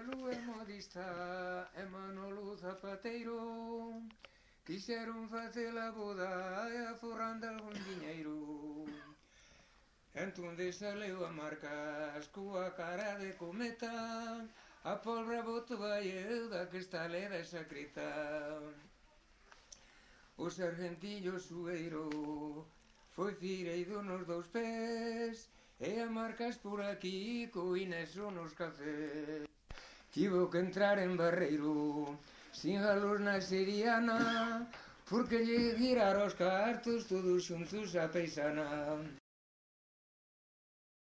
Marcelo é modista e Manolo zapateiro quixeron facer a boda e aforrando algún diñeiro. Entón saleu a Marcas coa cara de cometa, a polra botou vai da que está leda esa creta. O sargentillo sueiro foi fireiro nos dous pés, e a Marcas por aquí co Ineso nos cafés. Tivo que entrar en Barreiro sin galos na seriana, porque lle viraron os cartos todos xuntos a paisana.